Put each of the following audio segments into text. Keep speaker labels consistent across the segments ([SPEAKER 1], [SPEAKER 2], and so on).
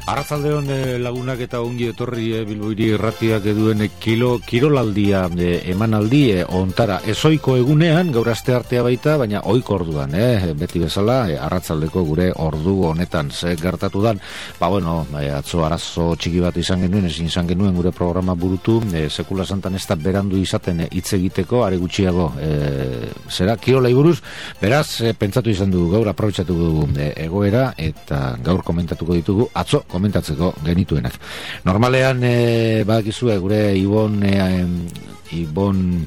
[SPEAKER 1] Arratzaldeon lagunak eta ongi etorri Bilboiri irratiak eduen kirolaldia emanaldi ontara. Ezoiko egunean, gaur asteartea baita, baina ohiko orduan, beti bezala, arratzaldeko gure ordu honetan ze gertatu dan. Atzo arazo txiki bat ezin izan genuen gure programa burutu, sekula santan ez da berandu izaten hitz egiteko, are gutxiago kirolai buruz, beraz, pentsatu izan dugu gaur aprobetxatu dugu egoera, eta gaur komentatuko ditugu, atzo komentatzeko genituenak. Normalean, badakizue, gure Ibon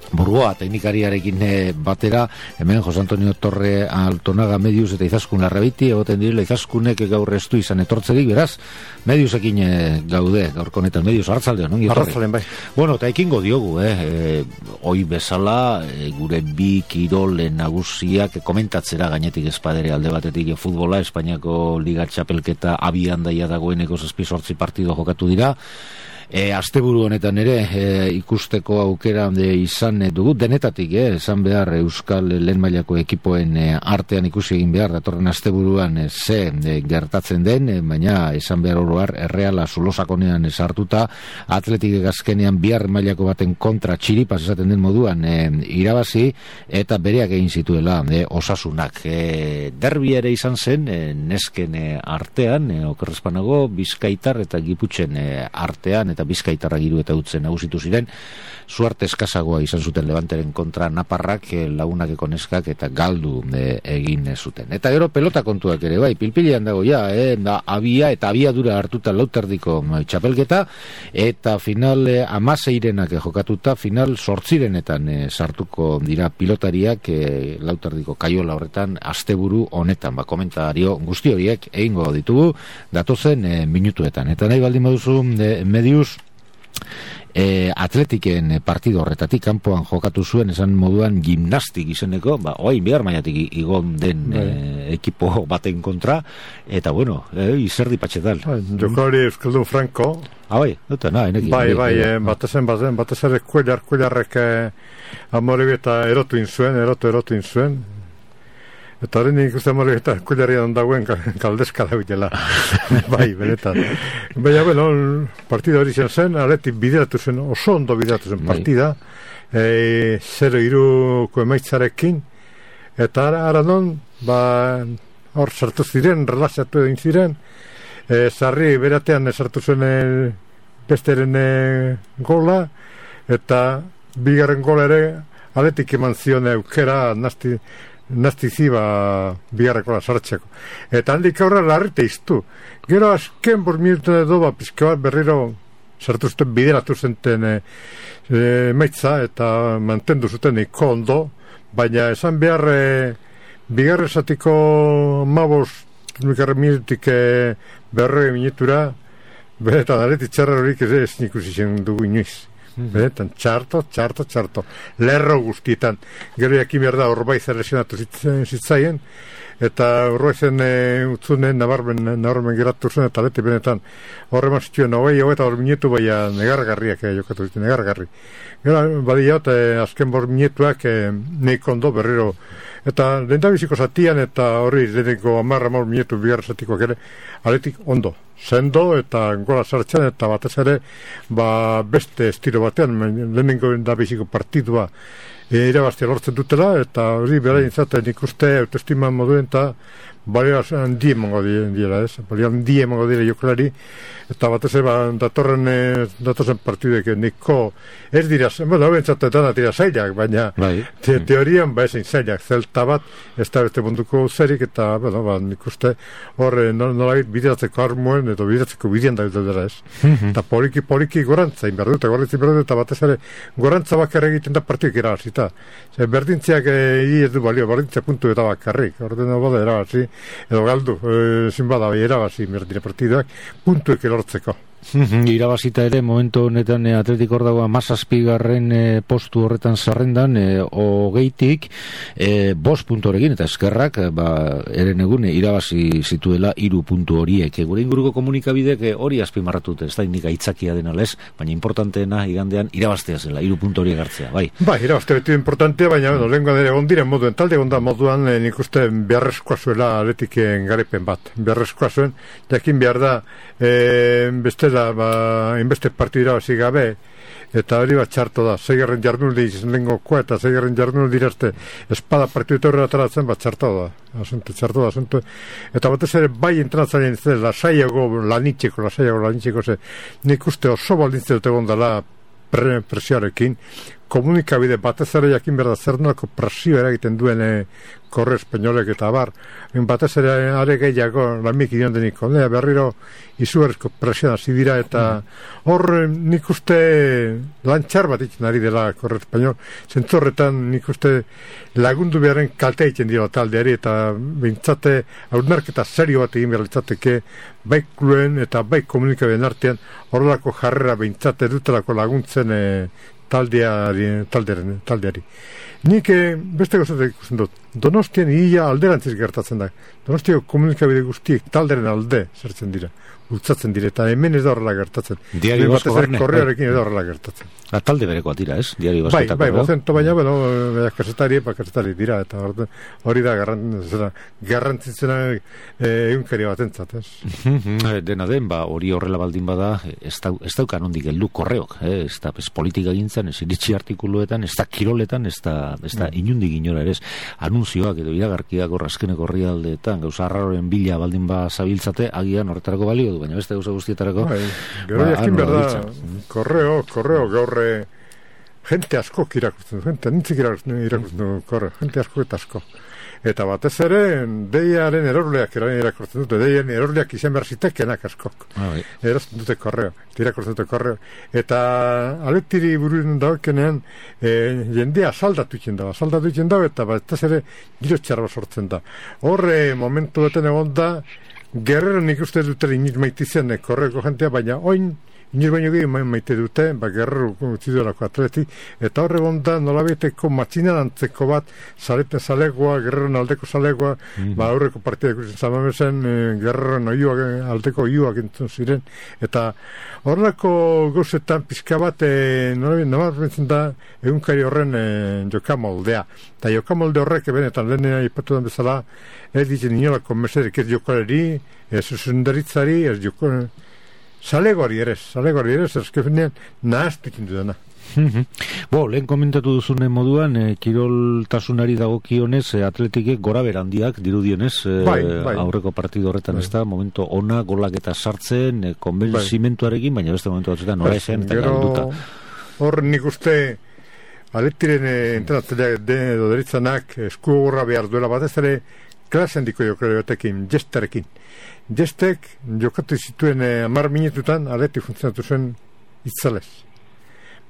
[SPEAKER 1] Burgoa teknikariarekin batera, hemen Jose Antonio Torre Altonaga Medius eta Izaskun Larrabiti egoten direla. Izaskunek gaur estu izan etortzerik, beraz, Mediusekin gaude, gaurko honetan Medius, arratzaldeon, ongi etorri.
[SPEAKER 2] Arratzaldeon, bai.
[SPEAKER 1] Eta ekingo diogu, hoi bezala, gure bi kirol nagusiak komentatzera gainetik espadere alde batetik futbola, Espainiako Liga Txapelketa abian daia dagoeneko 7-8 partido jokatu dira. Asteburu honetan ere ikusteko aukera izan dugu denetatik, esan behar Euskal lehen mailako ekipoen artean ikusi egin behar datorren asteburuan ze gertatzen den, baina esan behar oroar Erreala Zulosakonean sartuta, Atletik azkenean bihar mailako baten kontra txiripas esaten den moduan irabazi eta bereak egin zituela Osasunak. Derbi ere izan zen nesken artean, okerrezpanago Bizkaitar eta Giputxen artean, eta Bizkaitarra giru eta utzen nagusitu ziren, suerte eskazagoa izan zuten Levanteren kontra Naparrak, lagunakeko neskak eta galdu egin zuten. Eta gero pelota kontuak ere, bai, pilpilean dago abia eta abiadura hartuta lauterdiko txapelketa, eta final 16 jokatuta, final 8 sartuko dira pilotariak lauterdiko kaiola horretan asteburu honetan, komentario guzti horiek egingo ditugu datozen minutuetan. Eta nahi baldin baduzu Medius, Atletiken partido horretatik kanpoan jokatu zuen, esan moduan gimnastik izeneko, oain behar maiatik igon den ekipo baten kontra, eta izerdi patxetal.
[SPEAKER 2] Jokari Euskaldun Franco.
[SPEAKER 1] Bai,
[SPEAKER 2] batez ere kuelarrek Amoribia eta erotu inzuen. Eta horren ikusten Amoribia eta kuelarian dagoen kaldezka dagoela. Bai, benetan. Baina, partida hori zen, Atletik bideratu zen, oso ondo bideratu zen partida, 0-3 emaitzarekin, eta ara non, hor sartu ziren, relaxatu egin ziren, Sarri beratean sartu zen besteren gola, eta bigarren gola ere Atletik eman zion aukera naztiziba bigarrekola sartzeko. Eta handik aurra larrite iztu. Gero azken minutu edo pizke bat berriro sartu zuten bideratu zenten emaitza eta mantendu zuten iko ondo, baina esan behar bigarre zatiko 15 minutik berroi minutura beretan Atleti txarra horik ez ikusi zen dugu inoiz. Benetan, txarto, lerro guztietan. Gero jakin behar da Orbaiz lesionatu zitzaien, eta Orbaizen utzunen nabarmen geratu zen, eta Atleti benetan horreman zituen, eta minutu baina negargarriak jokatu zituen, negargarri. Gero, badia, azken minutuak neiko ondo berriro. Eta lehendabiziko zatian, eta hori leheneko 10 minutu bigarra zatikoak ere, Atletik ondo. Sendo eta gola sartzen, eta batez ere beste estilo batean, lehenengo lehendabiziko partidua irabaztea lortzen dutela, eta hori berain zaten ikuste autoestima moduen eta balio handi emango dira, balio handi emango dira jokalari, eta batez datozen partidek niko ez dira, hauen zaten dira zailak, baina teorian ezin zailak, zelta bat ez da beste munduko zerik, eta ikuste hor nolagit bideratzeko armuen edo bideratzeko bidean da dira ez. Eta poliki gorantza inberdu, eta batez ere gorantza bakarrik egiten da partidek irabazita. Berdintziak ez du balio, berdintzia puntu eta bakarrik, orden bada erabazi, edo galdu, ezin bada irabazi berdine partiduak, puntuek lortzeko.
[SPEAKER 1] Irabazita ere momentu honetan Atletik hor dago 17. Postu horretan zerrendan, 20tik 5 punturekin eta eskerrak eren egun irabazi zituela 3 puntu horiek. Gure inguruko komunikabidek hori azpimarratut, ez da nik aitzakia dena lez, baina importanteena igandean irabaztea zela, 3 puntu horiek hartzea, bai. Bai,
[SPEAKER 2] irabaztea beti importantea, baina lehenko dira ondiren moduen, talde gonda moduan nik uste beharrezkoa zuela Atletiken garipen bat. Beharrezkoa zuen, jakin behar da bestela inbeste partidura hasi gabe, eta hori bat txarto da, 6. jardunaldi lehengokoa eta 6. jardunaldi dirazte espada partidu horrela ataratzen bat txarto da, asunto. Eta batez ere bai entrenatzaren lasaiago lanitxeko ze nik uste oso baldintze dute gondala presioarekin, komunikabide batez ere jakin behar da zer nolako presio eragiten duen korre espainolek eta bar, batez ere are gehiago lamik idion denik berriro izugarrizko presioa hasi dira eta hor nik uste lantxar bat itzen ari dela korre espainol, zentzorretan nik uste lagundu beharren kalte egiten dira taldeari eta bintzate hausnarketa serio bat egin behar litzateke bai kluen eta bai komunikabideen artean horrelako jarrera bintzate dutelako laguntzen taldeari. Nik beste gozatek ikusten dut. Donostian ia alderantziz gertatzen da. Donostiako komunikabide guztiek talderen alde zertzen dira. Bultzatzen dire, eta hemen ez da horrela gertatzen.
[SPEAKER 1] Diario Basko barne.
[SPEAKER 2] Korrearekin ez da horrela gertatzen.
[SPEAKER 1] Talde berekoa dira, ez? Diario Basketako.
[SPEAKER 2] Bai, bozento baina, kasetari dira, eta hori da garrantzitzena egunkari bat entzat, ez?
[SPEAKER 1] Dena den, hori horrela baldin bada, ez daukan ondik heldu korreok, ez da politika gintzen, ez iritsi artikuluetan, ez da kiroletan, ez da inundik inora ere, anunzioak edo iragarkiak azkeneko herrialdeetan, gauza arraroren bila baldin ba zabiltzate, agian horretarako balio du, baina beste gauza guztietarako.
[SPEAKER 2] Gero jakin berda, korreo gaur jente asko irakurtzen du, nintzik irakurtzen du korreo, jente asko eta asko. Eta batez ere, deiaren erorleak irakurtzen dute, deiaren erorleak izan behar zitekenak askok. Erazten dute korreo, irakurtzen dute korreo. Eta aletiri buruen daukenean, jendea saldatu itzen dago, eta batez ere giro txarra sortzen da. Horre momentu beten egon da, Guerrero nik uste dute iniz maitizen korreko jentea, baina oin iniz baino gehi maite dute, Guerrero utziduelako Atleti, eta horre gonda nolabeteko matxinan antzeko bat, zalegoa, Guerrero aldeko zalegoa, aurreko partida ikusten zamamezen, Guerrero aldeko iuak entzun ziren, eta horrelako gauzetan pizka bat, nolabet bentzen da, egunkari horren jokamoldea. Eta jokamolde horrek benetan lehenea ipatu den bezala, ez ditzen inolako mesedek ez jokaleri, ez zuzendaritzari, ez jokaleri, Zalegoari ere, erzkefinean nahaztu ikindu dena.
[SPEAKER 1] Lehen komentatu duzunen moduan, kiroltasunari dagokionez, Atletikek gora berandiak dirudionez, aurreko partidu horretan ez da, momentu ona, golak eta sartzen, konbentzimentuarekin, baina beste momentu batzuetan nora esan eta galduta.
[SPEAKER 2] Hor nik uste, Atletiren entrenatzeleak edo deritzanak eskugorra behar duela batez ere, klasen diko jokare batekin, Jesterekin. Jestek jokatu zituen 10 minututan Atleti funtzionatu zuen itzalez.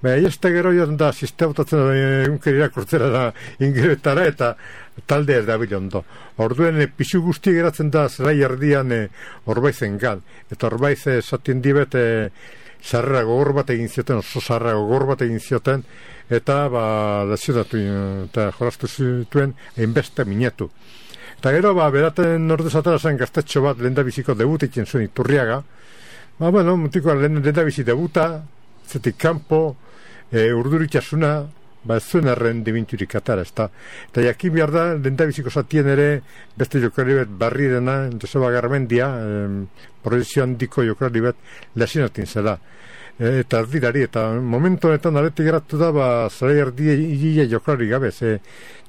[SPEAKER 2] Jeste gero joan da sistemautatzen egunkeri irakurtzera da ingeretara eta talde erdabil ondo. Orduen pisu guzti geratzen da zerai erdian Orbaizen gal. Eta Orbaiz esatien dibet sarrera gogor bat egin zioten, oso sarrera gogor bat egin zioten, eta lezionatu eta jolastu zituen hainbeste minutu. Eta gero, beraten ordez atara zen gaztetxo bat lehendabiziko debutekin zuen Iturriaga. Mutiko lehendabizi debuta, zetik kanpo, urduritxasuna, ez zuen erren dibinturik atara, eta jakin behar da, lehendabiziko zatien ere, beste jokalari bet barri dena, Joseba Garmendia, proizio handiko jokalari bet, lesionatin zela. Eta erdilari, eta momentu honetan Atleti geratu da, zara erdi hilia jokalari gabe,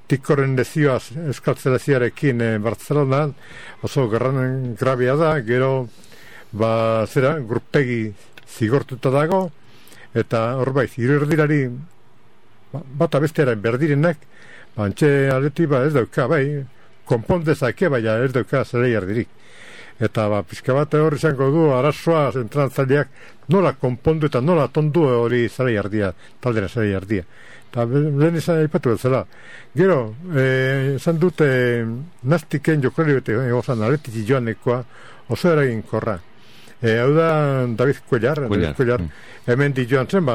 [SPEAKER 2] Tikoren lezioa Euskal Seleziarekin Bartzelonan oso grabia da, gero grupegi zigortuta dago, eta horbaiz, irerdilari bata bestearen berdirenak, antxe Atleti ez dauka, konpondezake, baina ez dauka zelei erdirik. Eta pixka bat hori izango du arazoa zentralitzaileak nola konpondu eta nola tondu hori zelei erdia, taldera zelei erdia. Eta lehen izan aipatu bezala. Gero, esan dute naztiken jokalari bete egozan Atleti joanekoa oso eraginkorra. Hau da David Cuellar. Hemen di joan zen,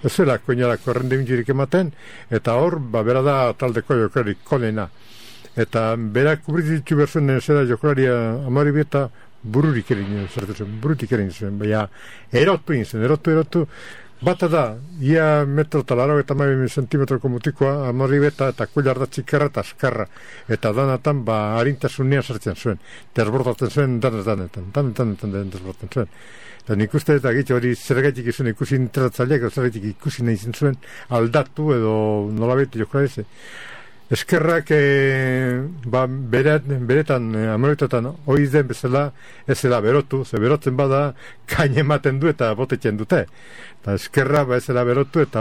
[SPEAKER 2] ez zela Cuellarako errendimendurik ematen, eta hor, bera da taldeko jokalari konena. Eta berak kubritu berzuen zera jokalaria Amoribieta burutik egin zuen, baina erotu, bata da, ia metro eta 80 zentimetroko mutikoa, Amoribieta eta Cuellar da txikarra eta askarra, eta danatan harintasunean sartzen zuen, desbordatzen zuen danetan desbordatzen zuen. Eta nik uste eta gitxe hori zergaitik izan ikusi interratzaileak, zergaitik ikusi nahi zuen aldatu edo nolabete jokalari. Eskerrak beretan, Amoribietan hori den bezala ez zela berotu, ze berotzen bada kain ematen du eta botetzen dute. Eta eskerra ez zela berotu eta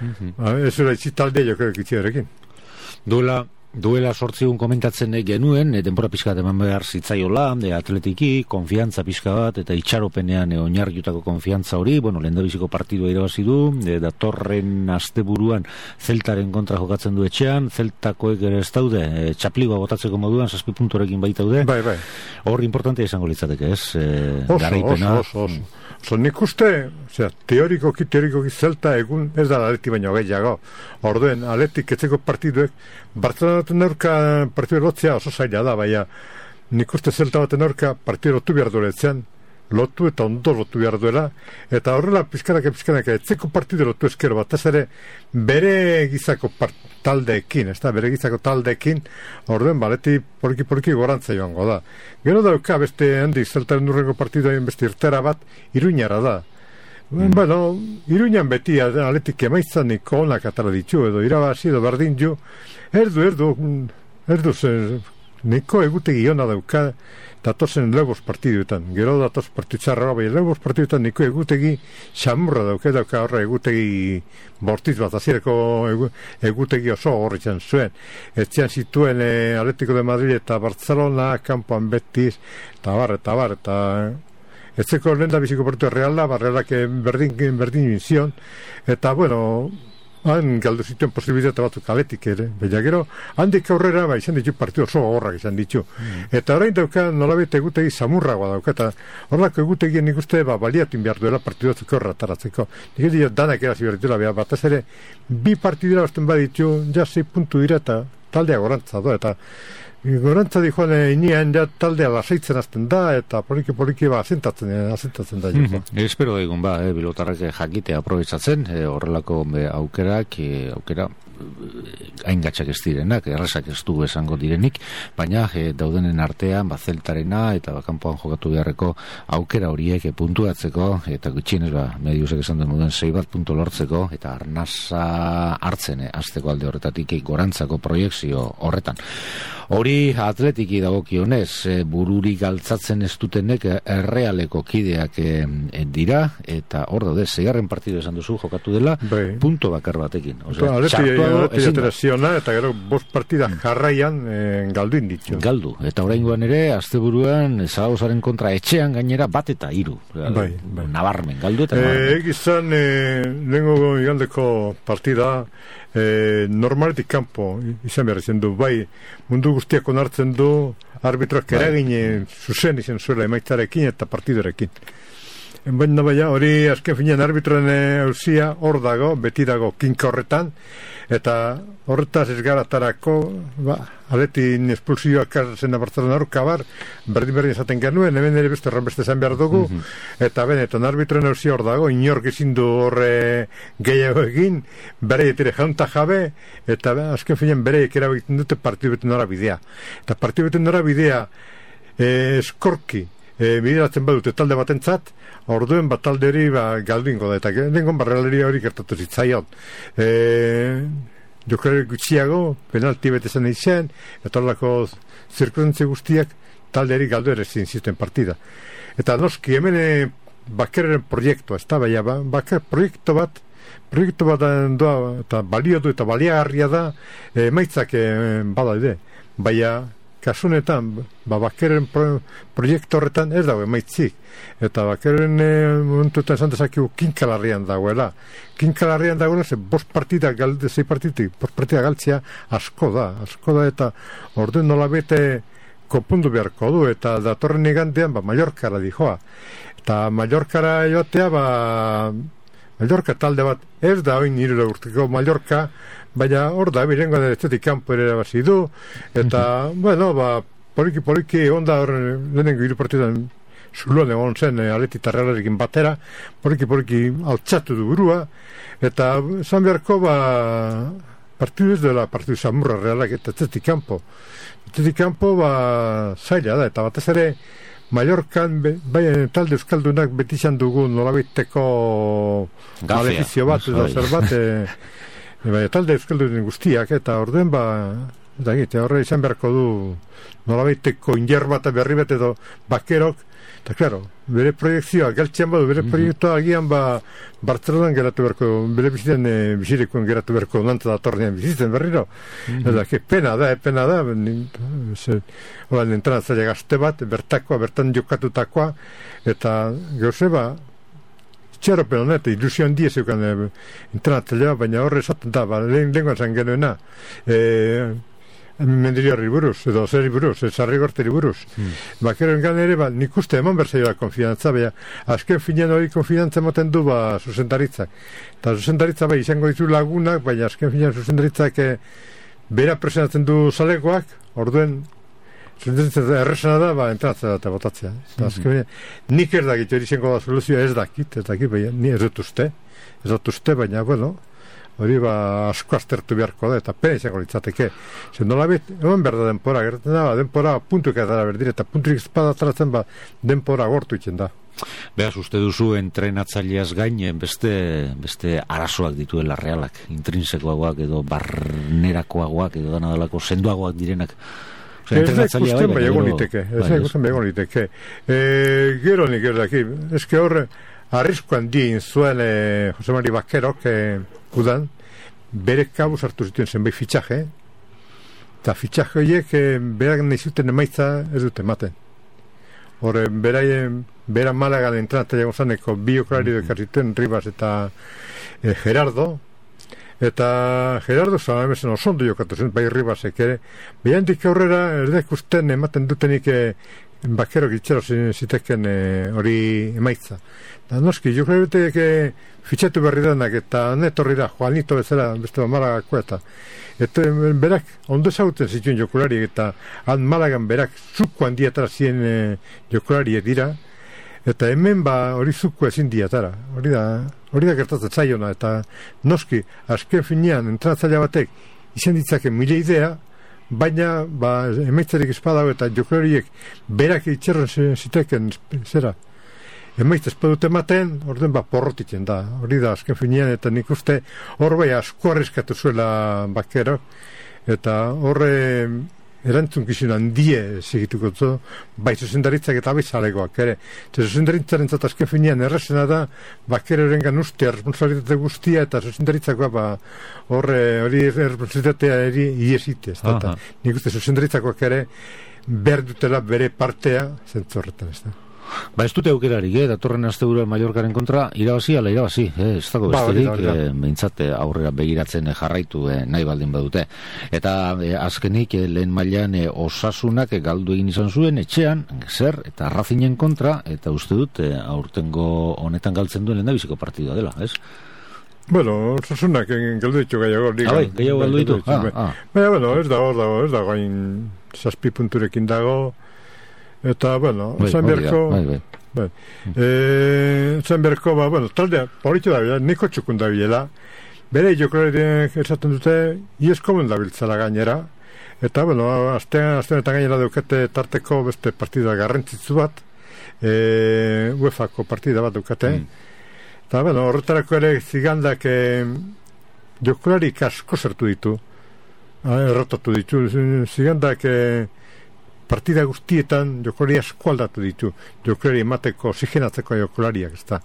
[SPEAKER 2] ez zela itxitaldea jokalari itxiarekin.
[SPEAKER 1] Duela 8 komentatzen genuen, denbora pixka eman behar zitzaiola, atletiki, konfiantza pixka bat, eta itxaropenean oinarriutako konfiantza hori, lehendabiziko partidua irabazi du, datorren asteburuan Zeltaren kontra jokatzen du etxean, Zeltakoek ere ez daude, txapligoa botatzeko moduan, 7 punturekin baitaude.
[SPEAKER 2] Bai.
[SPEAKER 1] Hor importantea izango litzateke, ez?
[SPEAKER 2] Oso. Nik uste, teorikoki Zelta egun ez da Atleti baino gehiago. Orduen, Atletik etzeko partiduek, Bartzelonaten aurka partidu lotzea oso zaila da, baina nik uste Zelta baten aurka partidu lotu behar dueletzean, lotu eta ondo lotu behar duela, eta horrela pizkanak etzeko partidu lotu eskero bat, ez ere bere gizako taldeekin, orduen, Atleti poliki gorantza joango da. Gero dauka beste handi Zeltaren urrengo partiduain beste irtera bat, Iruñara da. Iruñan beti Atletik emaitzanik onak atara ditu, edo irabazi edo berdin ju, erdu niko egutegi ona dauka datozen Lebos partiduetan, gero datoz partitxarra bai, Lebos partiduetan niko egutegi xamurra dauka horra egutegi bortiz bat, azireko egutegi oso horretzen zuen. Etxean zituen Atletico de Madrid eta Barcelona, kanpoan Betis, eta bar, etzeko lehen da biziko partidu Realak berdin inzion, eta han galdu zituen posibilitate batzuk Atletik ere, baina gero handik aurrera izan ditu partidu oso gogorrak izan ditu. Eta orain dauka nolabait egutegi samurragoa dauka, eta horrelako egutegien nik uste baliatun behar duela partidu batzuk horretaratzeko. Nik edo danak erazi behar dituela behar, batez ere 2 partidura bazten baditu, 6 puntu dira eta taldea gorantza do, eta gorantza di joan inean taldea lasaitzen azten da, eta poliki asentatzen da.
[SPEAKER 1] Espero egun bilotarrak jakite aprobetsatzen, horrelako aukera haingatxak ez direnak, errazak ez du esango direnik, baina daudenen artean Zeltarena eta kanpoan jokatu beharreko aukera horiek puntuatzeko, eta gutxienez mediusek esan duen moden 6 puntu lortzeko, eta arnasa hartzen azteko alde horretatik gorantzako proiekzio horretan. Hori Atletiki dagokionez, bururik altzatzen ez dutenek Errealeko kideak dira, eta hor daude, 6. partidu esan duzu jokatu dela, punto bakar batekin.
[SPEAKER 2] Ateraziona, eta gero 5 partida jarraian galduin ditu.
[SPEAKER 1] Galdu, eta oraingoan ere, asteburuan Zaragozaren kontra etxean gainera 1 eta 3. Nabarmen, galdu eta nabarmen.
[SPEAKER 2] Egizan, lehenko igandeko partida, normaletik kanpo izan behar izan du, mundu guztiak onartzen du arbitroak eragin zuzen izan zuela emaitzarekin eta partidorekin. Baina hori azken finean arbitroen auzia hor dago, beti dago kinka horretan, eta horretaz ez garatarako Atletin espulsioak zen da Barcelona aurka berdin esaten genuen, hemen ere beste esan behar dugu, eta benetan arbitroen auzia hor dago, inork ezin du horre gehiago egin, bereietire jaunta jabe, eta azken finean bereiek erabegiten dute partidu beten norabidea. Eta partidu beten norabidea eskorki bideratzen badute talde batentzat, orduen talde hori galduingo da, eta dengon barreleria hori gertatu zitzaion. Jokalari gutxiago, penalti bete zen izan, eta horrelako zirkudentzi guztiak talde hori galdu ere ziten partida. Eta noski, hemen bakerren proiektua, ez da, baker proiektu bat doa, eta balio du eta baliagarria da, maitzak bada ide, baina kasunetan, bakerren proiektu horretan ez dago emaitzik, eta bakerren momentuetan esan dezakigu kinkalarrian dagoela. Kinkalarrian dagoela, 5 partida galde, 6 partida galtzea asko da, eta orduen nola bete kopundu beharko du, eta datorren igandean Mallorcara dijoa. Eta Mallorcara joatea, Mallorca talde bat, ez da oin 3 urteko Mallorca, baina hor da, birengo da estetik kanpo ere bazi du, eta, bueno, poliki onda hor lehenengo 3 partidan zuloan egon zen Atleti eta Realarekin batera, poliki altxatu du burua, eta zan beharko partidu ez dela partidu samurra Realak eta estetik kanpo. Estetik kanpo zaila da, eta batez ere Mallorcan talde euskaldunak beti izan dugu nolabaiteko malefizio bat edo zer bat talde euskaldunen guztiak, eta orduen horre izan beharko du nolabaiteko inger bat berri bat edo bakerok, eta klaro, bere proiektzioa galtzean badu, bere proiektua agian Bartzelonan geratu berko, bere bizirikoen geratu berko nanta datornean bizitzen berriro. Eta, pena da, horan entrenatzaile gazte bat, bertan jokatutakoa, eta gauze txeropen honet, ilusio handia zeukan entrenatzaile bat, baina horre esaten da, lehenkoan zan genuena, Mendiliarri buruz, edo zeri buruz, Sarrigorteri buruz. Bakeroen gan ere, nik uste eman berzaioa konfidantza, baina azken finean hori konfidantza moten du zuzendaritzak. Eta zuzendaritza izango ditu lagunak, baina azken finean zuzendaritzak bera presionatzen du zalegoak, orduen zuzendaritza erresana da, entratzea eta botatzea. Azken finean, nik ez dakit hori izango da soluzioa ez dakit, baina ni ez dut uste, baina, bueno, hori asko aztertu beharko da, eta pena izango litzateke. Zer nolabit, eman behar da denpora, gertatzen da, denpora puntuek edara berdire, eta punturik espada atratzen denpora gortu itzen da.
[SPEAKER 1] Beaz, uste duzu entrenatzaileaz gain beste arazoak dituela Realak, intrinsekoagoak edo barnerakoagoak edo danadalako sendoagoak direnak.
[SPEAKER 2] Ez da ikusten bai egon liteke. Gero nik erdaki, ezke horre, arriskoan dien zuen Jose Mari Bakerok udan, bere kabuz hartu zituen zenbait fitxaje, eta fitxaje horiek berak nahi zuten emaitza ez dute ematen. Horre, bera Malagan entrenatzaile gozaneko bi jokalari dekartituen, Rivas eta Gerardo, eta Gerardo zan osondo jokatu zen, bai Rivasek ere, behandik aurrera erdek usten ematen dutenik Bakerok itxero ziteken hori emaitza. Da noski, jokalaritek fitxatu berri denak, eta netorri da, Juanito bezala, beste Malagako eta berak ondo ezauten zituen jokalari, eta Malagan berak zuko handiatara ziren jokalari dira, eta hemen hori zuko ezin diatara. Hori da gertatzen zaiona, eta noski, azken finean, entrenatzaile batek izan ditzake mila idea, baina emaitzarik espadago eta jokalariek berak itxerren ziteken zera emaitz espadut ematen, orden porrotitzen da, hori da azken finean, eta nik uste hor asko arriskatu zuela Bakerok, eta horre erantzunkizun handie segituko zu, bai zuzendaritzak eta bai zalegoak ere. Zuzendaritzaren azken finean errezena da Bakeroren gan ustea responsabilitate guztia, eta zuzendaritzakoa hori responsabilitatea iesite. Nik uste zuzendaritzak ere behar dutela bere partea zentzorretan, ez da.
[SPEAKER 1] Ez dute aukerarik, datorren asteburuan Mallorcaren kontra, irabazi, ez dago besterik, behintzat aurrera begiratzen jarraitu nahi baldin badute. Eta azkenik lehen mailan Osasunak galdu egin izan zuen etxean, zer, eta Racingen kontra, eta uste dut aurtengo honetan galtzen duen lehendabiziko partidua dela, ez?
[SPEAKER 2] Bueno, Osasunak galdu ditu gaiago.
[SPEAKER 1] Gaiago galdu ditu?
[SPEAKER 2] Baina, ez dago, hain 7 punturekin dago, eta, bueno, zan berko, taldea, horitu da bila, niko txukun da bilela, bere jokalariak esaten dute, ieskomen da biltzala gainera, eta, bueno, astean eta gainera daukate tarteko beste partida garrantzitzu bat, UEFA-ko partida bat daukate, eta, bueno, horretarako ere zigandak jokalarik asko zertu ditu, errotatu ditu, zigandak partida guztietan jokolari asko aldatu ditu, jokolari emateko, oxigenatzeko jokolariak, ez da.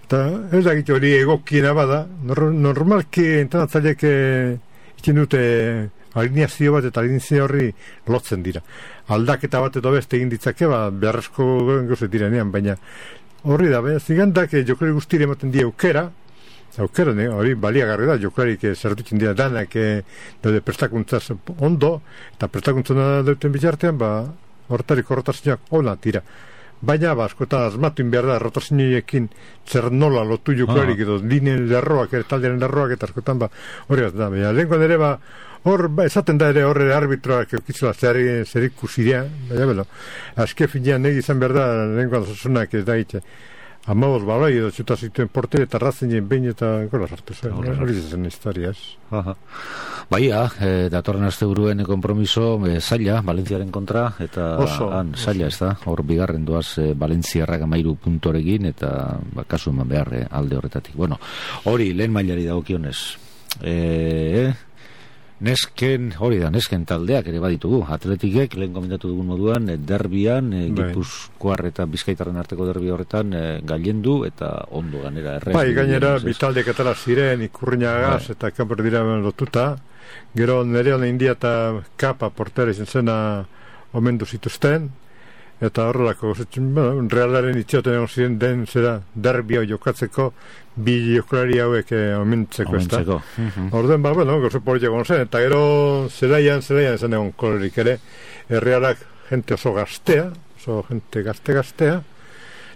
[SPEAKER 2] Eta ez da gitu hori egokiena bada, normalki entrenatzaileek ikin dute alineazio bat eta alineazio horri lotzen dira. Aldaketa bat edo beste egin ditzake, beharrezko gozet direnean, baina horri da, zigandak jokolari guztire ematen die aukera, aukeren, hori baliagarri da, joklarik zertutzen dira danak daude prestakuntzaz ondo, eta prestakuntzuna duten bitartean, hortarik horretazioak ona tira. Baina, askotan asmatuin behar da, rotaziniekin zer nola lotu joklarik edo lineen lerroak, taldearen lerroak, eta askotan, hori bat da, baina lehenkoan ere, hor, esaten da ere horre arbitroak eukitzela zer ikusirea, baina, azke finean izan behar da, lehenkoan zasunak ez da hitze. Amaboz baloi edo txuta zituen portere eta razenien behin eta gola sartu zen. Hori zen historia, ez?
[SPEAKER 1] Baia, datorren asteburuen konpromiso zaila, Valentziaren kontra, eta zaila, ez da? Hor bigarren doaz Valentziarrak 13 puntorekin, eta kasu eman behar alde horretatik. Bueno, hori lehen mailari dagokionez. Nesken taldeak ere baditugu. Atletikek, lehen komentatu dugun moduan, derbian, Gipuzkoar eta Bizkaitarren arteko derbi horretan gailendu eta ondo ganera errez.
[SPEAKER 2] Gainera, bitaldeak atala ziren, Ikurriñagaz eta kanper dira lotuta. Gero Nereon India eta Kapa portera izan zena omendu zituzten. Eta horrelako, realaren itxoten egon ziren den zera derbia jokatzeko bi joklari hauek omentzeko, ez da? Orduen, gozo politia egon zen, eta gero zelaian zen egon kolorik ere, realak jente oso gaztea, oso jente gaztea,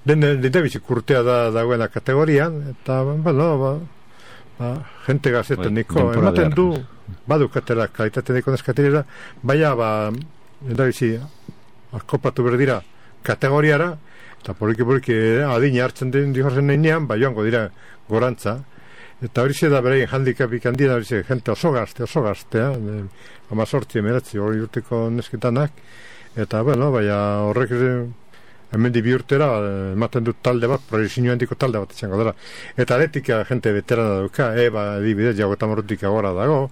[SPEAKER 2] den bizik urtea dagoena kategorian, eta, jente gaztetan niko, ematen du, badukatela kalitatea niko neskatirera, baina, den bizik, akopatu berdira kategoriara, eta poliki adina hartzen den dihozen nenean, joango dira gorantza, eta hori da berein handikapik handien, hori jente oso gaztea, 18 meratzi hori urteko nesketanak, eta horrek hemendi bi urtera ematen dut talde bat, proiezinu handiko talde bat izango dara, eta aretika jente veterana dauka, adibidez, jagoetan morrutik agora dago,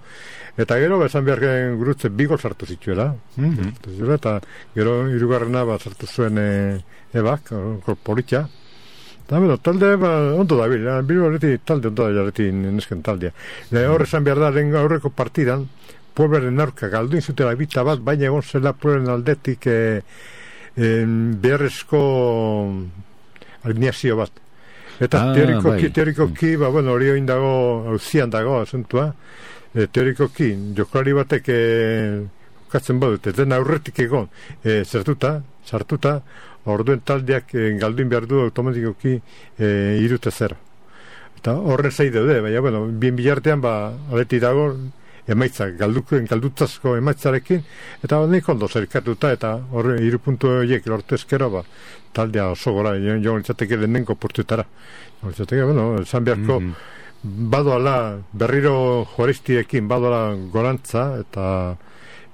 [SPEAKER 2] eta gero, esan behar gurutze bi gol sartu zituela. Eta gero, hirugarrena sartu zuen ebak, politia. Eta, talde, ondo da, bilu horreti, talde ondo da jarreti nesken taldea. Hor esan behar da, lehen aurreko partidan, Pueblaren aurka galduin zutela bita bat, baina egon zela Pueblaren aldetik beharrezko alineazio bat. Eta teorikoki, hori oin dago, hauzian dago, asuntua, teorikoki, joklari batek jokatzen badut, den aurretik egon sartuta, orduen taldeak galduin behar du automatikoki 3-0. Eta horren zai daude, baina, bien bilartean, aleti dago, emaitza, galdutazko emaitzarekin, eta nik ondo zerkatuta, eta horre 3 puntu horiek lortu ezkero, taldea oso gora, joan litzateke lehenengo portuetara. Esan beharko, badoala berriro juaristiekin badoala gorantza eta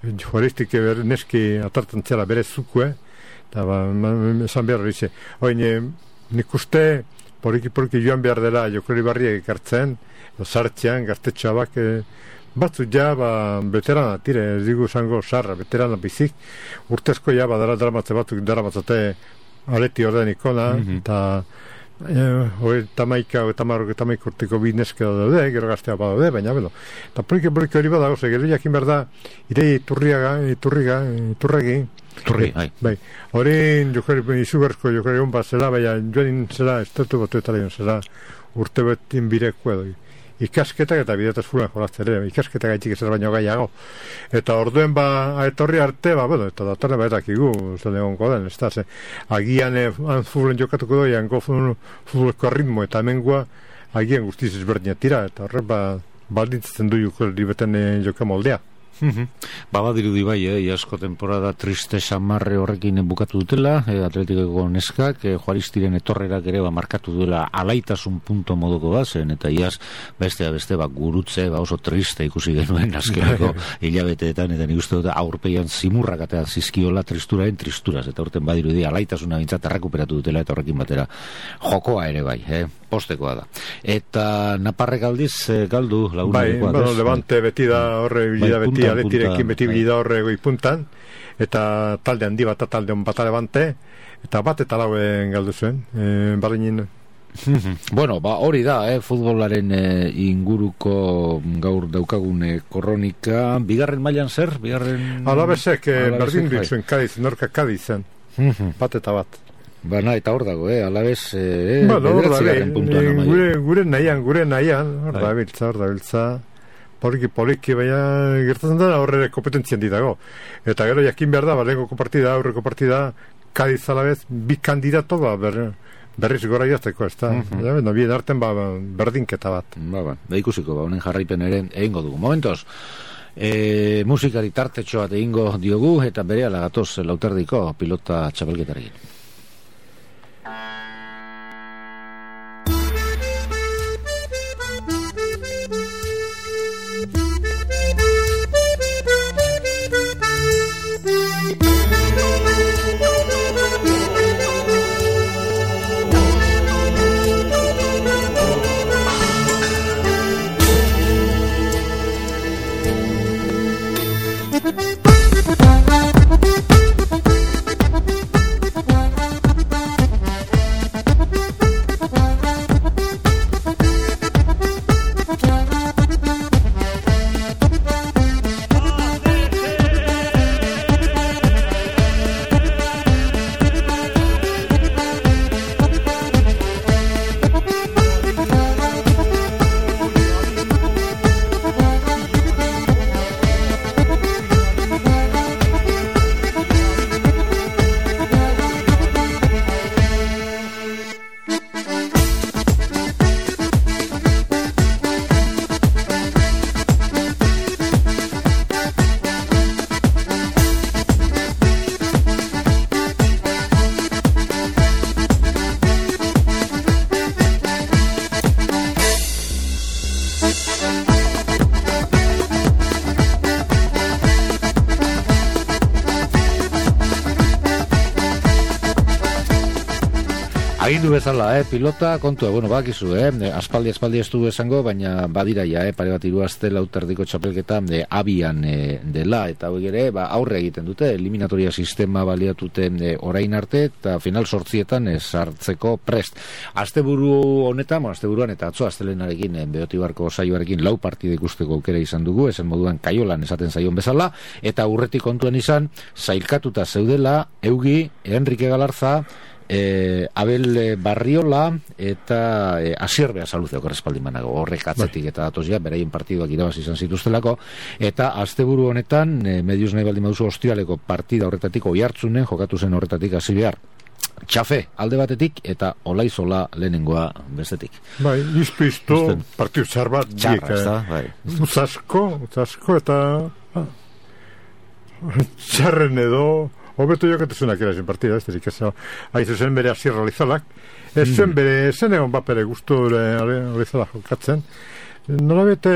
[SPEAKER 2] juaristik neski atartan zela bere zukue eta esan behar hori nik uste poriki joan behar dela joklari barriak ekartzen sartzean gaztetxoabak batzu veterana tire, ez digu zango sarra, veterana bizik urtezko daramatze batzuk daramatzate aleti orden ikona eta tamaika urteko bineske daude, gero gaztea badaude, baina eta poliki hori badago, gero jakin behar da irei iturregi hori izugarrizko jokari hon bat zela, baina joan zela estatu batuetara zela urte betin bireko edo ikasketak eta bidetaz fulan jolazten ere, ikasketak gaitxik ezer baino gaiago. Eta orduen etorri arte, eta datorren baetakigu, zen egonko den, ez da, agian fulen jokatuko doi, ango fuleko ritmo, eta hemengoa agian guztiz ezberdina tira, eta horre baldintzatzen du libeten joka moldea.
[SPEAKER 1] Badirudi bai, iasko temporada triste samarre horrekin bukatu dutela, Atletikoko neskak, juaristiren etorrerak ere markatu duela alaitasun punto moduko bazen, eta iaz beste gurutze oso triste ikusi genuen azkeneko hilabeteetan, eta nik uste dut aurpeian zimurrak eta zizkiola tristuraren tristuraz, eta urten badirudi alaitasuna bintzat errekuperatu dutela, eta horrekin batera jokoa ere bai, postekoa da. Eta Naparrek aldiz galdu lagunekoa.
[SPEAKER 2] Levante beti da horre bilida beti aletirekin beti bilida horre goipuntan, eta talde handi bat, talde hon bat Levante, eta bat eta lauen galdu zuen, barrenin.
[SPEAKER 1] Bueno, hori da, futbolaren inguruko gaur daukagun kronika. Bigarren mailan zer?
[SPEAKER 2] Alabesek berdin duizuen Kadiz, norka Kadizen, bat eta bat.
[SPEAKER 1] Bana, eta hor dago, alabez,
[SPEAKER 2] bederatzigarren puntuan. Gure nahian, hor dabiltza. Poliki, baina gertatzen da horre kompetentzian dago. Eta gero jakin behar da, lehenko partida, aurreko partida, Kadiz alabez, bi kandidato berriz gora jazteko, ez da? Bien arten berdinketa bat.
[SPEAKER 1] Da ikusiko, honen jarraipen ere egingo dugu. Momentos, musikari tartetxo bat egingo diogu, eta bere alagatoz lauterdiko pilota txapelketarekin. Agindu bezala, pilota, kontua, bakizu, aspaldi ez du esango, baina badira pare bat 3 aste lauterdiko txapelketa abian dela, eta hori ere, aurre egiten dute, eliminatoria sistema baliatute orain arte, eta final 8etan sartzeko prest. Asteburuan eta atzo astelenarekin, Beotibarko saioarekin 4 partida ikusteko aukera izan dugu, esan moduan kaiolan esaten zaion bezala, eta urretik kontuan izan, zailkatuta zeudela, Eugi, Enrique Galarza, Abel Barriola eta Asierbea Saluzeo korrespaldimanago horrek atzetik eta datozia beraien partiduak irabazi izan zituztelako, eta asteburu honetan medios nahi baldin baduzu Ostialeko partida horretatik Oiartzunen jokatu zen horretatik hasi behar Txafe alde batetik eta Olaizola lehenengoa bestetik.
[SPEAKER 2] Izpiztu partidu txar bat utzasko eta txarren edo hobeto jokatezunak erazen partida, ez derik ez haizu zen bere Asier Olizolak, ez zen egon bapere guztu Olizolak jokatzen, nola bete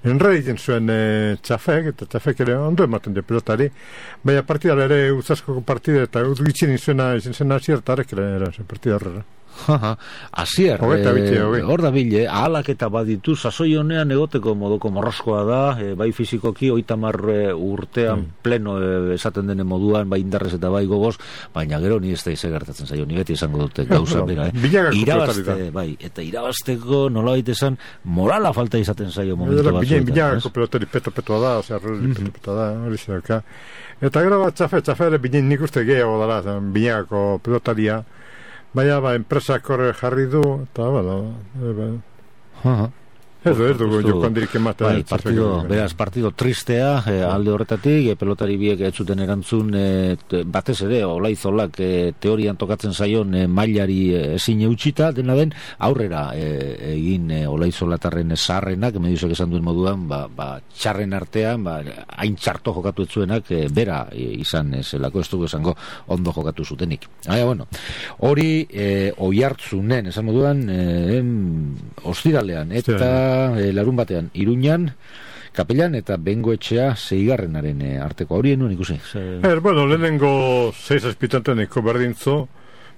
[SPEAKER 2] enrediten zuen Txafek, eta Txafek ere ondo ematen de pelotari, baina partida ere utzasko partida eta utgitzen izena zen Asier tarek ere zen partida horrela.
[SPEAKER 1] Asier, hor da bile, ahalak eta baditu, sasoi honean egoteko modoko morroskoa da, bai fizikoki, 30 urtean pleno esaten denen moduan, bai indarrez eta bai gogoz, baina gero ni ez da izagertatzen zaio, ni beti izango dute gauza bera, eta irabazteko nola baita esan, morala falta izaten zaio momentu batzuetan.
[SPEAKER 2] Binagako pelotari peto-petoa da, peto-petoa da, hori zeraka. Eta gero bat Txafe ere binen nik uste gehiago dara, binagako pelotaria, baina enpresak horre jarri du, eta ez dugu jokandirik ematen.
[SPEAKER 1] Beraz, partido tristea alde horretatik, pelotari biek ez zuten erantzun batez ere, Olaizolak teorian tokatzen zaion mailari ezin eutxita, dena den aurrera egin Olaizolatarren zaharrenak, mediusek esan duen moduan, txarren artean, hain txarto jokatu etzuenak, bera izan zelako, ez dugu esango ondo jokatu zutenik. Hori Oiartzunen, esan moduan, ostiralean, eta larun batean Iruñan, Kapelan eta Bengoetxea 6. arteko horien nuen ikusi.
[SPEAKER 2] Lehenengo 6 azpitanteneko berdintzo,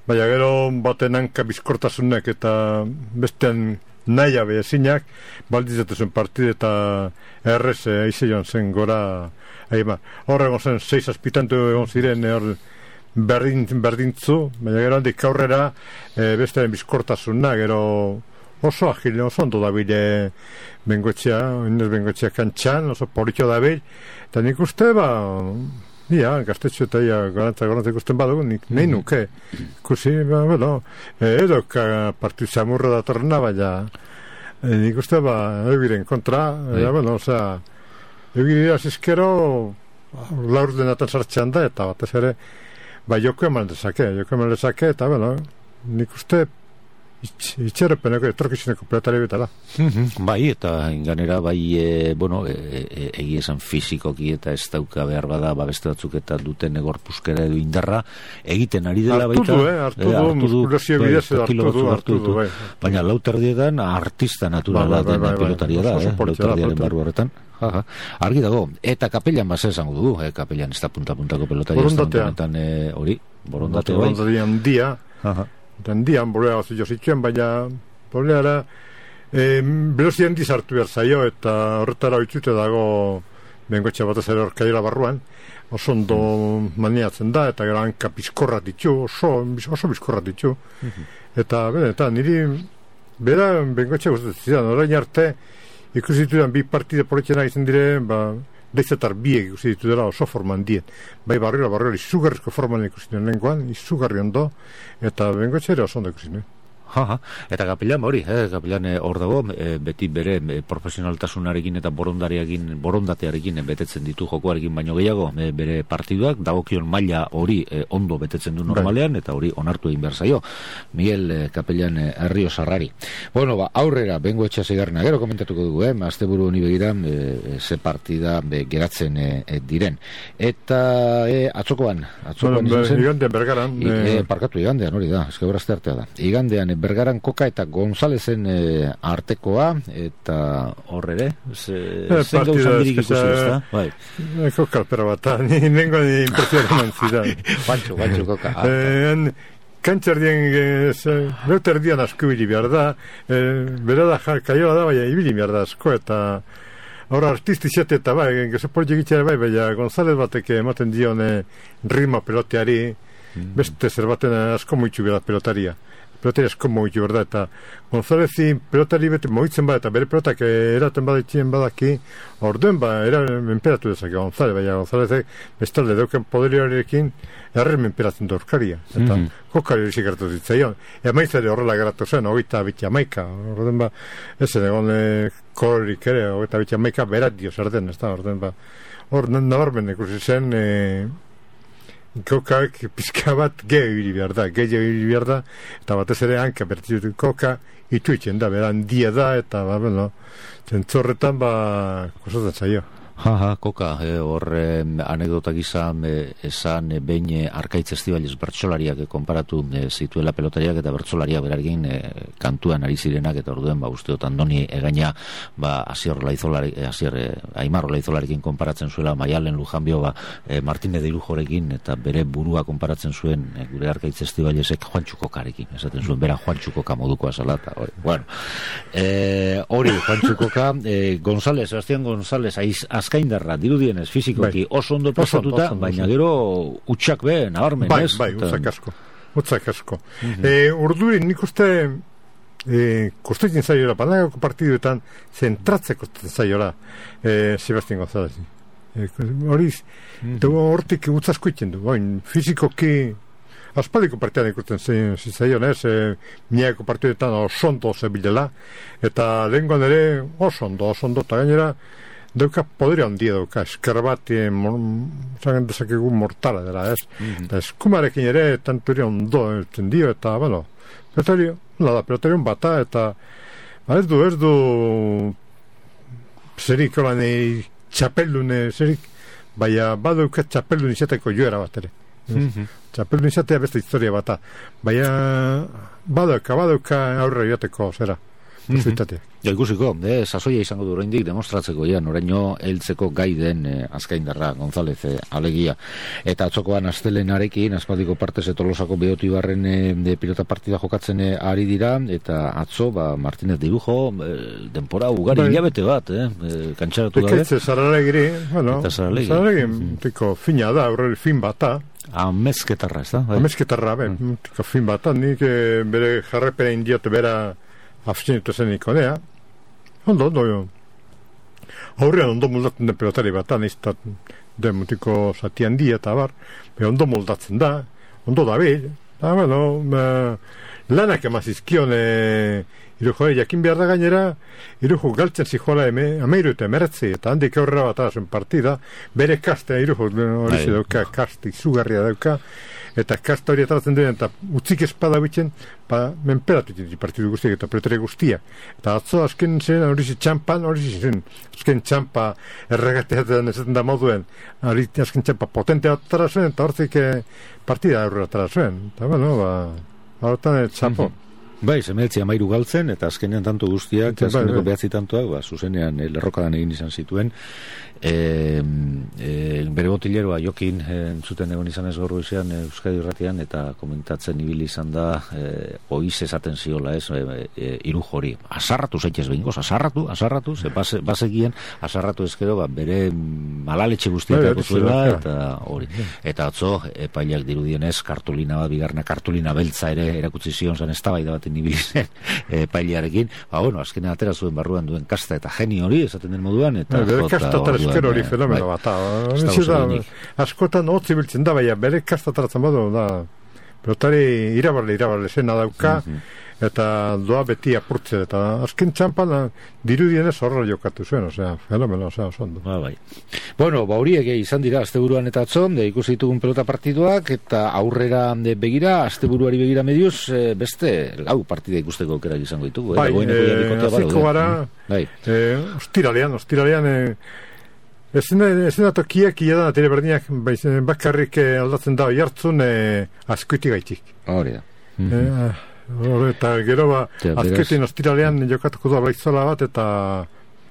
[SPEAKER 2] baina gero baten hanka bizkortasunek eta bestean nahi abe ezinak, baldizatzen partide eta errez aize joan zen gora. Horrego zen 6 azpitantu egon ziren berdintzu, baina gero handik aurrera bestean bizkortasuna, gero oso agile, oso ondo dabile Bengoetxea kantxan, oso politxo dabil, eta nik uste Ia, gaztetxo eta ia garantza ikusten badugu, nahi nuke. Ikusi, bueno, edo partidu zamurra datorrena, baina nik uste, eugiren kontra, bueno, osea, eugirea zizkero laur denatan sartxean da, eta batez ere, joko eman dezake, eta, bueno, nik uste, itxerrepeneko etorkizuneko pelotari betala.
[SPEAKER 1] Bai, eta ganera bueno, egi esan fizikoki eta ez dauka behar bada beste batzuk eta duten egorpuskera edo indarra egiten ari dela baita.
[SPEAKER 2] Hartu du, muskulazio bidez hartu du.
[SPEAKER 1] Baina lauterdietan artista naturala den pilotaria da, lauterdiaren barru horretan. Argi dago, eta kapellan base esango dugu, kapellan ez da punta-puntako pelotaria.
[SPEAKER 2] Borondatea handia, handian bolea gazio zituen, baina boleara velozia handiz hartu behar zaio, eta horretara oitzute dago Bengoetxe batez ere orkaila barruan, oso ondo maniatzen da, eta gero hanka bizkorra ditu, oso bizkorra ditu. Eta niri bera Bengoetxe gustatzen zidan, orain arte ikusi ditudan bi partide poletxena izan dire, deitzetar biek ikusi ditu dela oso forman dien. Bai barriola izugarrizko forman ikusi duen lehenkoan, izugarri ondo, eta Bengoetxe ere oso ondo ikusi duen.
[SPEAKER 1] Eta kapelan hori, kapelan hor dago, beti bere profesionaltasunarekin eta borondatearekin betetzen ditu jokoarekin baino gehiago, bere partiduak, dagokion maila hori ondo betetzen du normalean, eta hori onartu egin behar zaio, Miguel Kapelan Erriozarrari. Bueno, aurrera, Bengoetxe zeigarrena, gero komentatuko dugu, asteburu honi begira, ze partida geratzen diren. Eta atzokoan
[SPEAKER 2] izan zen? Igandean Bergaran.
[SPEAKER 1] Parkatu, igandean hori da, eskebrazte artea da. Igandean Bergaran Koka eta Gonzalezen artekoa, eta horre zein gauzan dirik ikusi ez da?
[SPEAKER 2] Koka alpera bat, nengo impresionan zidan.
[SPEAKER 1] Pantxo Koka.
[SPEAKER 2] Kantxerdien, leuterdian asko ibili behar da, bera da kaiola da, baina ibili behar da asko, eta horra artisti zete eta gezo politik baina Gonzalez batek ematen dion ritmo peloteari, beste zer baten asko moitxu behar pelotaria asko moitxu behar da, eta Gonzalezi pelotari bete moitzen bada, eta bere pelotak eraten badaitxien badaki, orduen menperatu dezake Gonzalez, baina Gonzalezek bestalde dauken poderioarekin erren menperatzen da orkaria, eta kokari hori zikartu zitzaion, emaitzare horrela geratu zen, 21, orduen ez egon kolorik ere, 21 berat dio zer den, ez da, orduen hor nabarmen ikusi zen Kokak pizka bat gehiagiri behar da, eta batez ere hanka bertitu koka ituitzen da, beran dia da, eta zentzorretan kosatzen zaio.
[SPEAKER 1] Koka, horre anekdotak izan esan behin Arkaitz Estibaliz bertsolariak konparatu zituela pelotariak eta bertsolariak berarekin kantuan ari zirenak, eta orduen usteot Andoni egaina Aimar Olaizolarekin konparatzen zuela Maialen Lujanbio Martínez de Irujorekin, eta bere burua konparatzen zuen gure Arkaitz Estibalizek Juantxu Kokarekin, esaten zuen bera Juantxu Koka modukoa zala, eta hori Juantxu Koka, Sebastián González azkaindarra, dirudienez, fizikoki oso ondo pasatuta, baina gero utxak nabarmen, ez?
[SPEAKER 2] Bai, utzak asko. Urdurin nik uste kostetzen zaiola, panagako partiduetan zentratzeko zaiola Sebastián González. Hortik utzasko iten du, fizikoki aspaldiko partidan ikusten zaion, miako partiduetan oso ondo zebilela, eta lehenkoan ere oso ondo, eta gainera dauka poderia handia dauka, esker bat zagen dezakegu mortala dela, ez? Eta eskumarekin ere tanturi ondo elten dio, eta, pelotarion bata, eta ez du zerik holan txapeldune zerik, baina badauka txapeldun izateko joera bat ere. Txapeldun izatea beste historia bata, baina badauka aurre joateko zera.
[SPEAKER 1] Ikusiko, sasoia izango du oraindik demostratzeko oraino heltzeko gai den azkaindarra González alegia, eta atzokoan astelenarekin aspaldiko partez Tolosako Beotibarren pilota partida jokatzen ari dira, eta atzo Martínez de Irujo denpora ugari hilabete bat kantxaratu gabe
[SPEAKER 2] Zaralegiri, tiko fina da, aurreri fin bata
[SPEAKER 1] amezketarra, ez da?
[SPEAKER 2] Amezketarra, tiko fin bata, nik bere jarrepena indiote bera abstenitu zen ikonea. Ondo, aurrean ondo moldatzen den pelotari bat, niztat den mutiko zati handia eta bar, ondo moldatzen da, ondo dabil, eta lanak emazizkion Irujo, jakin behar da gainera, Irujo galtzen zijoala ameiru eta emeretzi, eta handik aurrera bat arazen partida, bere kastea Irujo hori dauka, kast izugarria dauka, eta kasta hori ataratzen duen, eta utzik espada bitzen, menperatu ditu partidu guztiak eta pelotari guztiak. Eta atzo azken zen, hori txampan, azken txampa erregateatzen ezaten da moduen, hori azken txampa potente atara zuen, eta hortzik partida aurrera atara zuen. Eta horretan txapo.
[SPEAKER 1] Bai, semeretzi 13 galtzen, eta azkenean tanto guztiak, azkeneko 9 tantoak, zuzenean lerrokadan egin izan zituen. Bere botileroa Jokin entzuten egon izan ez gaur goizean Euskadi Irratian, eta komentatzen ibili izan da oiz esaten ziola, Irujo hori. Asarratu zaitez behingoz, asarratu, ze bazekien, asarratu ezkero, bere malaletxe guztiak zuela, eta hori. Eta atzo, epailak dirudienez, kartulina bat, bigarna kartulina beltza ere erakutsi zion zen eztabaida baten ibili zen epailearekin. Azkenean atera zuen barruan duen kasta eta genio hori, esaten den moduan, eta
[SPEAKER 2] eskero hori fenomeno bat. Askotan hotzi biltzen da, baina bere kastataratzen badu da. Pelotari irabarle zena dauka, eta doa beti apurtze, eta azken txampan dirudienez horrela jokatu zuen, fenomeno, ondo.
[SPEAKER 1] Bai. Bueno, horiek izan dira asteburuan eta atzon, ikusi ditugun pelota partiduak, eta aurrera begira, asteburuari begira mediuz, beste lau partida ikusteko aukerak izango ditugu.
[SPEAKER 2] Bai, aziko gara, ostiralean, ezin da tokiak iadan atire berdinak bakarrik aldatzen da jartzun azkuiti gaitik.
[SPEAKER 1] Hori da.
[SPEAKER 2] Eta gero azkuitin ostiralean jokatuko da Baizola bat eta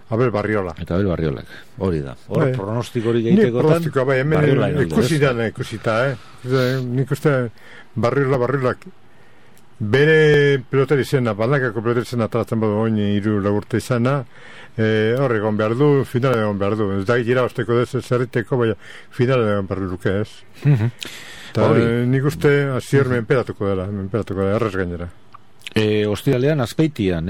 [SPEAKER 2] Abel Barriolak,
[SPEAKER 1] hori da. Hor pronostik hori gehitekotan,
[SPEAKER 2] Barriolak ikusita, nik uste Barriolak bere pelotari zena, bandakako pelotari zena ataratzen badu oin 3 urte izana, horre egon behar du, finale egon behar du. Ez da gira osteko dez, zerriteko, baina finale egon behar duke ez. Eta nik uste azier menperatuko dela, errez gainera.
[SPEAKER 1] Ostiralean Azpeitian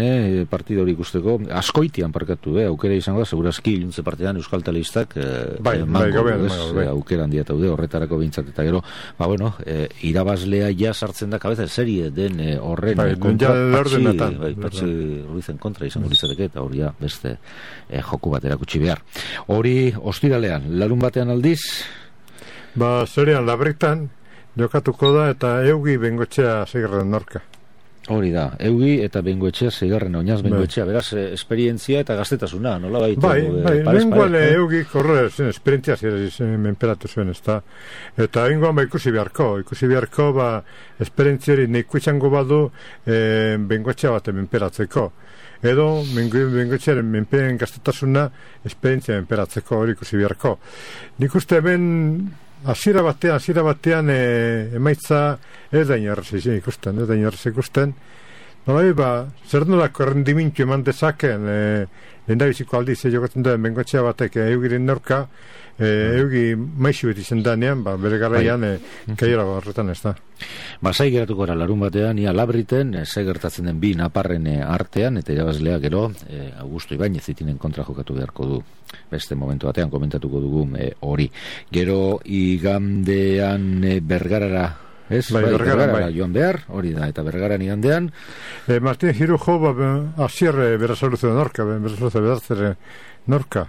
[SPEAKER 1] partida hori ikusteko, Azkoitian parkatu, aukera izango da, segurazki iluntze partidan Euskal Telebistak aukera handia taude horretarako behintzat, eta gero, irabazlea ja sartzen da kabeza serie den horren kontra, Patxi Ruizen kontra izango litzateke, eta hori beste joku bat erakutsi behar. Hori ostiralean, larun batean aldiz?
[SPEAKER 2] Zerean Labritan jokatuko da, eta Eugi Bengoetxea Seigarren Norka.
[SPEAKER 1] Hori da, Eugi eta Bengoetxea Seigarren, oinaz Bengoetxea, beraz, esperientzia eta gaztetasuna, nola baitu?
[SPEAKER 2] Bengoale Eugi korre esperientzia menperatu zuen, eta ingoan ikusi beharko, esperientziari neiko izango badu Bengoetxea bat menperatzeko. Edo, Bengoetxearen menperen gaztetasuna esperientzia menperatzeko hori ikusi beharko. Nik uste hemen hasiera batean emaitza ez da inorrez ikusten. Zer nolako errendimintu eman dezaken lehendabiziko aldiz jokatzen duen Bengoetxea batek Eugiren Norka, Eugi maixu beti zendanean, bere garaian kaiora horretan ez da.
[SPEAKER 1] Zai geratuko gara larun batean, ia Labriten, zai gertatzen den bi naparren artean, eta irabazlea gero, Augusto Ibañez itinen kontra jokatu beharko du. Beste momentu batean komentatuko dugu hori. Gero igandean Bergarara, Bergarara joan behar, hori da, eta Bergaran igandean.
[SPEAKER 2] Martin Girujo, Asier Berasaluze de Norka, Berasaluze Bedartzere Norka.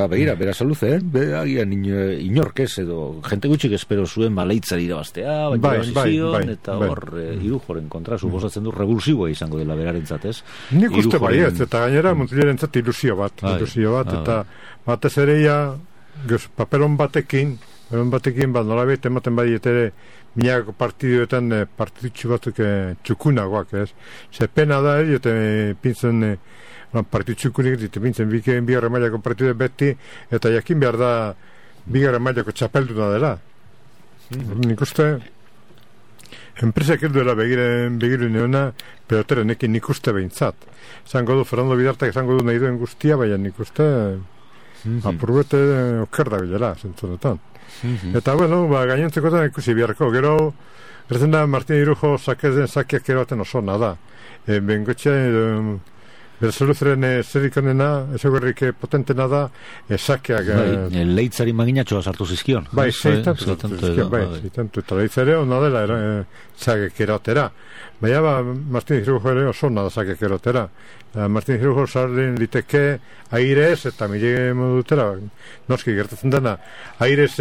[SPEAKER 1] Begira, Berasaluze, agian inorkez edo, jente gutxik espero zuen baleitzari irabaztea, eta hor Irujoren kontra, suposatzen du revulsiboa izango dela berarentzat, ez?
[SPEAKER 2] Nik uste baiet, eta gainera Muntiliarentzat ilusio bat, eta batez ere papelon batekin, nolabait ematen badiet ere minako partiduetan partidutxu batzuk txukunagoak, ez? Ze pena da, pintzen partidutxukunik pintzen bigarren mailako partidu beti, eta jakin behar da bigarren mailako txapelduna dela. Nik uste enpresak elduela begiru neona, peloteren ekin nik uste behintzat. Zango du Fernando Bidartak, zango du nahi duen guztia, baina nik uste apurbete oker da bilela, zentzunetan. Eta, gainontzekotan ikusi biharko. Gero, gertzen da Martin Irujo zakeak eroaten oso nada. Bengoetxea Berzeluzeren zerikonena, ezaguerrik potentena da, sakeak...
[SPEAKER 1] Leitzari maginatxoa sartu zizkion.
[SPEAKER 2] Zeitantu sartu zizkion, eta leitzare hona dela sakek erotera. Baina, Martin Hirujo ere oso hona da sakek erotera. Martin Hirujo sarren liteke airez eta mire modutera, noski gertatzen dena, airez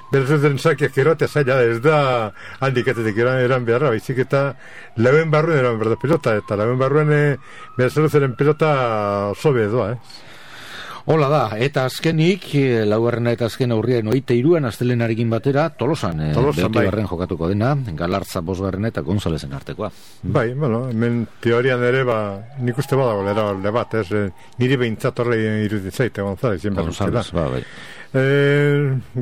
[SPEAKER 2] Berzeluzeren sakeak erotea zaila ez da handikatetik eran beharra, baizik eta lauen barruen eran berda pilota, eta lauen barruen Berzeluzeren pilota oso bedoa,
[SPEAKER 1] Hola da, eta azkenik, laugarrena eta azken aurrien 23an astelenarekin batera, Tolosan beotigarren jokatuko dena, Galartza bosgarrena eta Gonzalezen artekoa.
[SPEAKER 2] Bai, hemen teorian ere, nik uste badago lera bat, niri behintzat horre iruditzait, Gonzalez,
[SPEAKER 1] bai.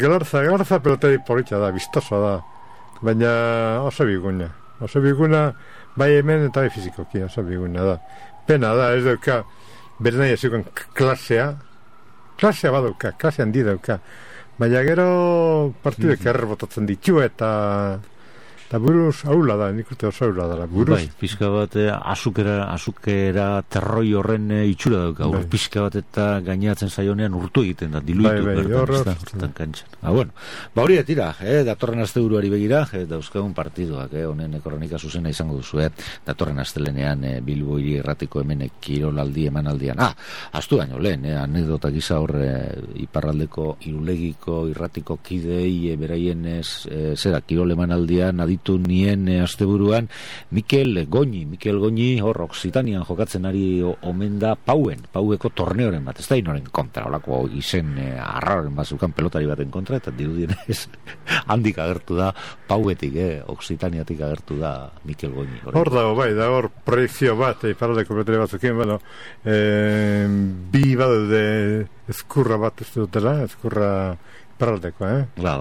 [SPEAKER 2] Galartza pelotari politxa da, biztosoa da, baina oso biguna, bai hemen eta bai fizikoki, oso biguna da. Pena da, ez dauka, bere nahi ezukon klasea badauka, klase handi dauka, baina gero partidek errebotatzen ditu eta buruz aula da, nik uste oso aula da, buruz.
[SPEAKER 1] Bai, pixka bat azukera terroi horren itxura dauka, pixka bat eta gainatzen zaionean urtu egiten da, diluitu bertan kantxan. Hori tira, datorren asteburuari begira, dauzkagun partiduak, honen kronika zuzena izango duzu, datorren astelenean Bilbo Hiri Irratiko hemen kirolaldi emanaldian. Astu baino lehen, anekdota gisa hor iparraldeko Irulegiko irratiko kidei beraien zera kirol emanaldian aditu nien asteburuan Mikel Goñi hor Oksitanian jokatzen ari omen da Paueko torneoren bat, ez da inoren kontra, holako izen arraroren bat zukan pelotari baten kontra, eta dirudienez handik agertu da Pauetik, Oksitaniatik agertu da Mikel Goñi.
[SPEAKER 2] Hor dago, bai, da hor proiekzio bat, iparraldeko pelotari batzukin, bi badaude ezkurra bat ez dutela, ezkurra iparraldeko,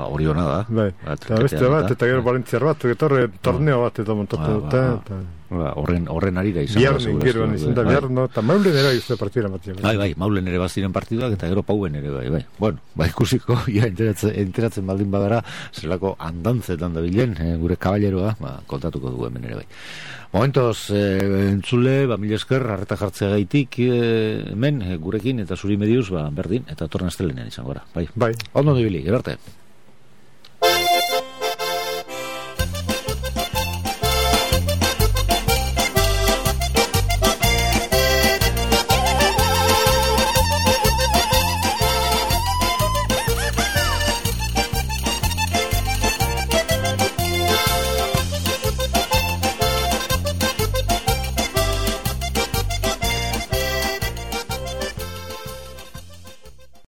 [SPEAKER 1] hori hona da.
[SPEAKER 2] Bai, eta beste bat, eta gero Valentziar bat, torneo bat edo montatu dute.
[SPEAKER 1] Horren arira izan.
[SPEAKER 2] Biarren, gero izan da, biarren, eta Maulen ere izan partidura bat.
[SPEAKER 1] Bai, Maulen ere baziren partiduak, eta gero Pauen ere, bai. Bueno, ikusiko, enteratzen baldin badara, zelako andantzetan da bilen, gure kaballeroa, kontatuko du hemen ere, bai. Momentoz, entzule, mila esker, arreta jartzea gaitik, hemen, gurekin, eta zuri mediuz, berdin, eta torren astelenean izan gora, bai.
[SPEAKER 2] Bai.
[SPEAKER 1] Ondo dibili, gerarte.